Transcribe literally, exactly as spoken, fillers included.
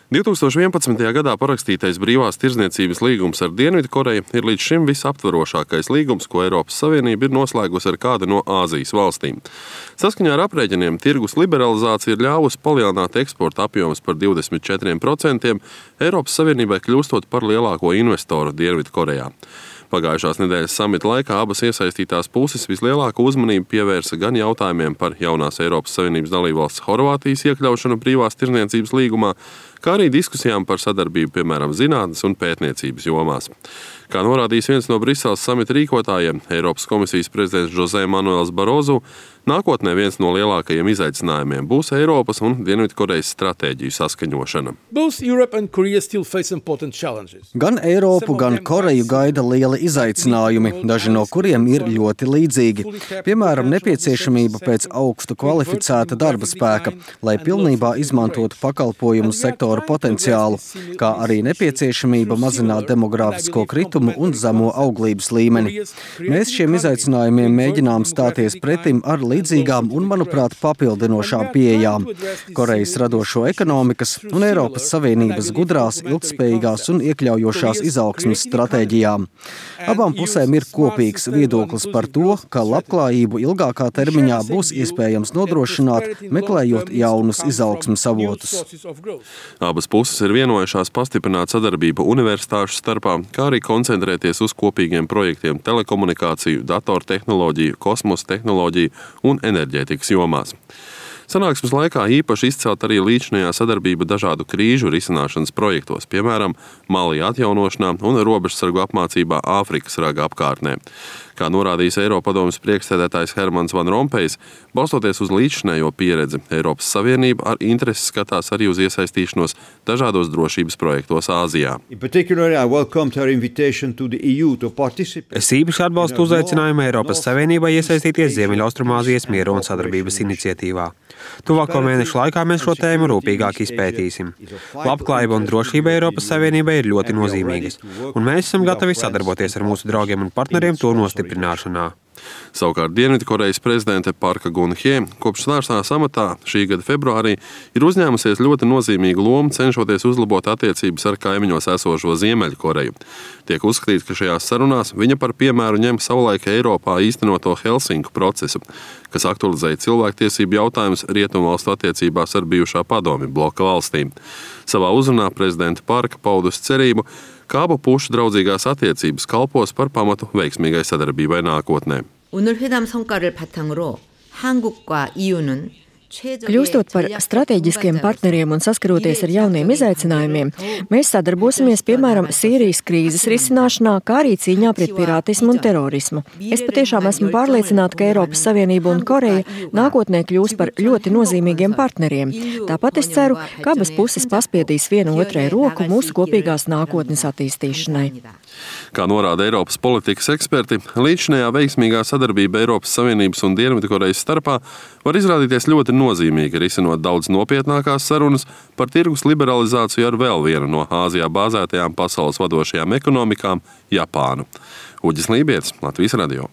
divi tūkstoši vienpadsmitajā gadā parakstītais brīvās tirdzniecības līgums ar Dienvidkoreju ir līdz šim visaptvarošākais līgums, ko Eiropas Savienība ir noslēgusi ar kādu no Āzijas valstīm. Saskaņā ar aprēķiniem tirgus liberalizācija ir ļāvusi palielināt eksporta apjomus par divdesmit četriem procentiem, Eiropas Savienībai kļūstot par lielāko investoru Dienvidkorejā. Pagājušās nedēļas samita laikā abas iesaistītās puses vislielāko uzmanību pievērsa gan jautājumiem par jaunās Eiropas Savienības dalībvalsts Horvātijas iekļaušanu brīvās tirdzniecības līgumā, kā arī diskusijām par sadarbību, piemēram, zinātnes un pētniecības jomās. Kā norādījis viens no Briseles samita rīkotājiem, Eiropas komisijas prezidents José Manuels Barozu, nākotnē viens no lielākajiem izaicinājumiem būs Eiropas un Dienvidkorejas stratēģiju saskaņošana. Gan Eiropu, gan Koreju gaida lieli izaicinājumi, daži no kuriem ir ļoti līdzīgi. Piemēram, nepieciešamība pēc augstu kvalificēta darba spēka, lai pilnībā izmantotu pakalpojumu sektoru potenciālu, kā arī nepieciešamība mazināt demogrāfisko kritumu un zemo auglības līmeni. Mēs šiem izaicinājumiem mēģinām stāties pretim ar līdzīgām un, manuprāt, papildinošām pieejām Korejas radošo ekonomikas un Eiropas Savienības gudrās, ilgtspējīgās un iekļaujošās izaugsmes stratēģijām. Abām pusēm ir kopīgs viedoklis par to, ka labklājību ilgākā termiņā būs iespējams nodrošināt, meklējot jaunus izaugsmes avotus. Abas puses ir vienojušās pastiprināt sadarbību universitāšu starpā, kā arī koncentrēties uz kopīgiem projektiem telekomunikāciju, datortehnoloģiju, kosmosa tehnoloģiju un enerģētikas jomās. Sanāksmes laikā īpaši izcelt arī līdzinājā sadarbība dažādu krīžu risināšanas projektos, piemēram, Mali atjaunošanā un robežsargu apmācībā Āfrikas raga apkārtnē. Kā norādījis Eiropadomes priekšsēdētājs Hermans Van Rompējs, balstoties uz līdzinējo pieredzi, Eiropas Savienība ar interesi skatās arī uz iesaistīšanos dažādos drošības projektos Āzijā. Es īpaši atbalstu uzaicinājumu Eiropas Savienībai iesaistīties Ziemeļaustrumāzijas miera un sadarbības iniciatīvā. Tuvāko mēnešu laikā mēs šo tēmu rūpīgāk izpētīsim. Labklājība un drošība Eiropas Savienībai ir ļoti nozīmīgas, un mēs esam gatavi sadarboties ar mūsu draugiem un partneriem to nostiprināšanā. Savukārt Dienvidkorejas prezidente Parka Gun-hye kopš stāšanās amatā šī gada februārī ir uzņēmusies ļoti nozīmīgu lomu, cenšoties uzlabot attiecības ar kaimiņos esošo Ziemeļkoreju. Tiek uzskatīts, ka šajās sarunās viņa par piemēru ņem savulaik Eiropā īstenoto Helsinku procesu, kas aktualizēja cilvēktiesību jautājumus rietumvalstu attiecībās ar bijušā padomju bloka valstīm. Savā uzrunā prezidente Parka paudusi cerību, ka abu pušu draudzīgās attiecības kalpos par pamatu veiksmīgai sadarbībai nākotnē. 오늘 회담 성과를 바탕으로 한국과 이유는 Kļūstot par strateģiskiem partneriem un saskaroties ar jauniem izaicinājumiem, mēs sadarbosimies, piemēram, Sīrijas krīzes risināšanā, kā arī cīņā pret pirātismu un terorismu. Es patiešām esmu pārliecināta, ka Eiropas Savienība un Koreja nākotnē kļūs par ļoti nozīmīgiem partneriem. Tāpat es ceru, ka abas puses paspiedīs vienu otrai roku mūsu kopīgās nākotnes attīstīšanai. Kā norāda Eiropas politikas eksperti, līdzinējā veiksmīgā sadarbība Eiropas Savienības un Dienvidkorejas starpā var izrādīties ļoti nozīmīgi risinot daudz nopietnākās sarunas par tirgus liberalizāciju ar vēl vienu no Āzijā bāzētajām pasaules vadošajām ekonomikām – Japānu. Uģis Lībietis, Latvijas radio.